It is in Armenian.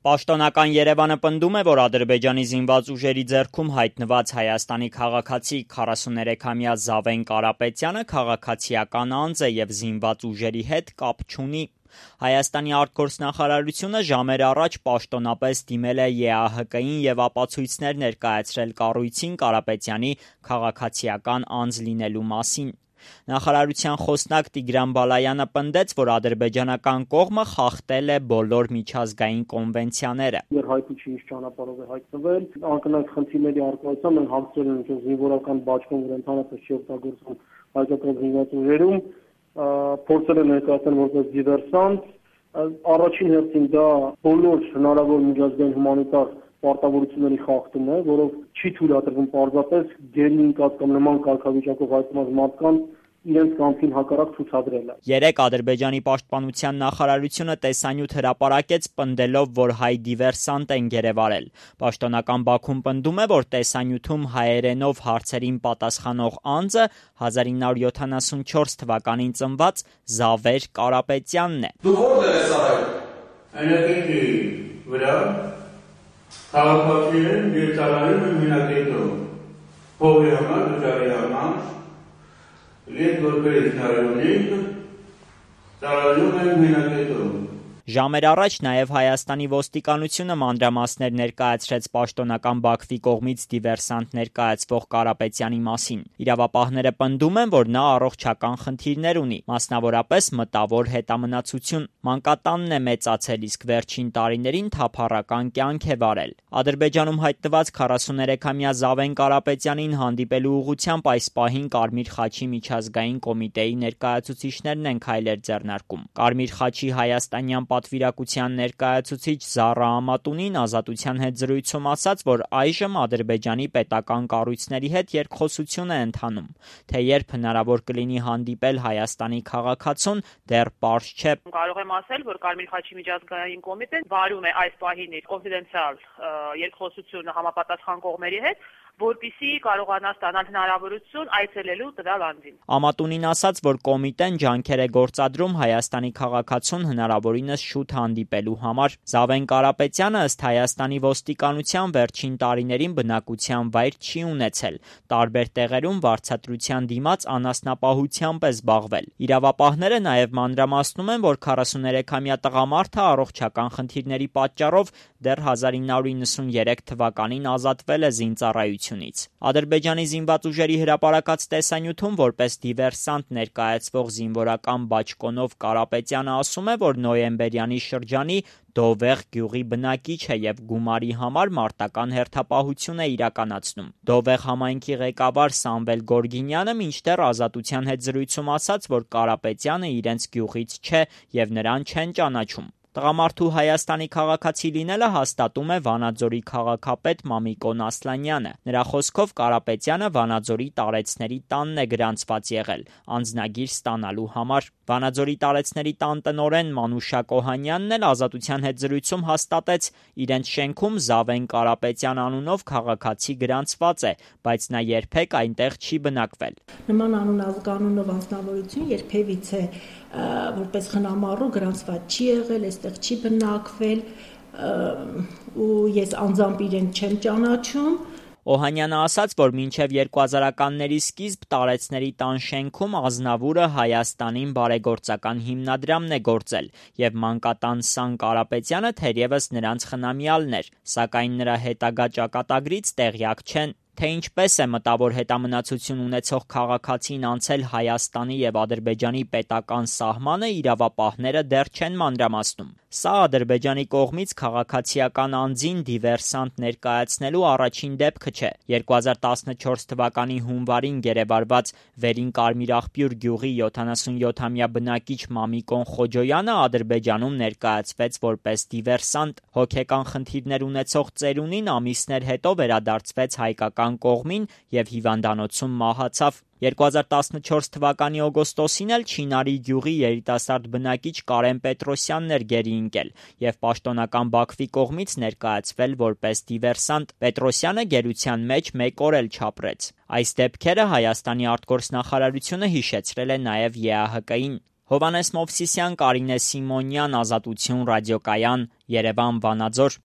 Պաշտոնական Երևանը պնդում է, որ Ադրբեջանի զինված ուժերի ձեռքում հայտնված Հայաստանի քաղաքացի 43-ամյա Զավեն Կարապետյանը քաղաքացիական անձ է և զինված ուժերի հետ կապ չունի։ Հայաստանի արտգործնախարարությունը ժամեր առաջ պաշտոնապես դիմել է ԵԱՀԿ-ին և ապացույցներ ներկայացրել կառույցին Կարապետյանի քաղաքացիական անձ լինելու մասին։ Նախարարության խոսնակ Տիգրան Բալայանը պնդեց, որ ադրբեջանական կողմը խախտել է բոլոր միջազգային կոնվենցիաները։ Հայտնի չի ինչ ճանապարհով է հայտնվել, անկնհայտ խնդիրների առկայությամբ են հաղթել են զինվորական բաճկոն, որ ընդհանրապես չի օգտագործվում հայկական զինված ուժերում, փորձել են ներկայացնել որպես դիվերսանտ։ Առաջին հերթին դա բոլոր հնարավոր միջազգային հումանիտար պարտավորությունների խախտում է, որով չի թույլատրվում պարզապես գերի ընկած կամ նման կարգավիճակով հայտնված մարդկանց իրենց կամքին հակառակ ցուցադրելը։ Երեկ Ադրբեջանի պաշտպանության նախարարությունը տեսանյութ հրապարակեց, պնդելով, որ հայ դիվերսանտ են գերեվարել։ Պաշտոնական Բաքուն պնդում է, որ տեսանյութում հայերենով հարցերին պատասխանող անձը 1974 թվականին ծնված Զավեր Կարապետյանն է։ Դու որտեղ ես արել։ Այնտեղի վրա քաղաքացիներն դերտարանում են մենագետով։ Փողի համար, դժարի համար, Լետ որպես նարյոնիկ, տարալում են մենագետով։ Ժամեր առաջ նաև Հայաստանի ոստիկանությունը մանրամասներ ներկայացրեց պաշտոնական Բաքվի կողմից դիվերսանտ ներկայացվող Կարապետյանի մասին։ Իրավապահները պնդում են, որ նա առողջական խնդիրներ ունի, մասնավորապես մտավոր հետամնացություն։ Մանկատանն է մեծացել, իսկ վերջին տարիներին թափառական կյանք է վարել։ Ադրբեջանում հայտնված 43-ամյա Զավեն Կարապետյանին հանդիպելու ուղղությամբ այս պահին Կարմիր խաչի միջազգային կոմիտեի ներկայացուցիչներն են քայլեր ձեռնարկում։ Կարմիր խաչի հայաստանյան պատվիրակության ներկայացուցիչ Զառա Ամատունին Ազատության հետ զրույցում ասաց, որ այժմ Ադրբեջանի պետական կառույցների հետ երկխոսություն է ընթանում, թե երբ հնարավոր կլինի հանդիպել Հայաստանի քաղաքացուն, դեռ պարզ չէ։ Կարող եմ ասել, որ Կարմիր խաչի միջազգային կոմիտեն վարում է այս պահին իր կոնֆիդենցիալ երկխոսությունը համապատասխան կողմերի հետ, որպեսզի կարողանա ստանալ հնարավորություն այցելելու տվյալ անձին։ Ամատունին ասաց, որ կոմիտեն ջանքեր է գործադրում Հայաստանի քաղաքացուն հնարավորինս շուտ հանդիպելու համար։ Զավեն Կարապետյանը ըստ Հայաստանի ոստիկանության վերջին տարիներին բնակության վայր չի ունեցել, տարբեր տեղերում վարձատրության դիմաց անասնապահությամբ է զբաղվել։ Իրավապահները նաև մանրամասնում են, որ 43-ամյա տղամարդը առողջական խնդիրների պատճառով դեռ 1993 թվականին ազատվել է զինծառայությունից։ Ադրբեջանի զինված ուժերի հրապարակած տեսանյութում որպես դիվերսանտ ներկայացվող զինվորական բաճկոնով Կարապետյանը ասում է, որ նոյեմբերյանի շրջանի Դովեղ գյուղի բնակիչ է և գումարի համար մարտական հերթապահություն է իրականացնում։ Դովեղ համայնքի ղեկավար Սամվել Գորգինյանը մինչդեռ Ազատության հետ զրույցում ասաց, որ Կարապետյանը իրենց գյուղից չէ և նրան չեն ճանաչում։ Տղամարդու Հայաստանի քաղաքացի լինելը հաստատում է Վանաձորի քաղաքապետ Մամիկոն Ասլանյանը։ Նրա խոսքով Կարապետյանը Վանաձորի տարեցների տանն է գրանցված եղել անձնագիր ստանալու համար։ Վանաձորի տարեցների տան տնօրեն Մանուշակ Օհանյանն էլ Ազատության հետ զրույցում հաստատեց, իրենց շենքում Զավեն Կարապետյան անունով քաղաքացի գրանցված է, բայց նա երբեք այնտեղ չի բնակվել։ Նման անունազգանունով անձնավորություն երբևիցե որպես խնամառու գրանցված չի եղել, այստեղ չի բնակվել ու ես անձամբ իրեն չեմ ճանաչում։ Օհանյանը ասաց, որ մինչև 2000-ականների սկիզբ տարեցների տան շենքում Ազնավուրը Հայաստանին բարեգործական հիմնադրամն է գործել և մանկատան Սան Կարապետյանը թերևս նրանց խնամյալն էր, սակայն նրա հետագա ճակատագրից տեղյակ չեն, թե ինչպես է մտավոր հետամնացություն ունեցող քաղաքացին անցել Հայաստանի և Ադրբեջանի պետական սահմանը, իրավապահները դեռ չեն մանրամասնում։ Սա Ադրբեջանի կողմից քաղաքացիական անձին դիվերսանտ ներկայացնելու առաջին դեպքը չէ։ 2014 թվականի հունվարին գերեվարված Վերին Կարմիր աղբյուր գյուղի 77-ամյա բնակիչ Մամիկոն Խոջոյանը Ադրբեջանում ներկայացվեց որպես դիվերսանտ։ Հոգեկան խնդիրներ ունեցող ծերունին ամիսներ հետո վերադարձվեց հայկական կողմին և հիվանդանոցում մահացավ։ 2014 թվականի օգոստոսին էլ Չինարի գյուղի երիտասարդ բնակիչ Կարեն Պետրոսյանն էր գերի ընկել և պաշտոնական Բաքվի կողմից ներկայացվել որպես դիվերսանտ։ Պետրոսյանը գերության մեջ 1 օր էլ չապրեց։ Այս դեպքերը Հայաստանի արտգործնախարարությունը հիշեցրել է նաև ԵԱՀԿ-ին։ Հովհաննես Մովսիսյան, Կարինե Սիմոնյան, Ազատություն ռադիոկայան, Երևան, Վանաձոր։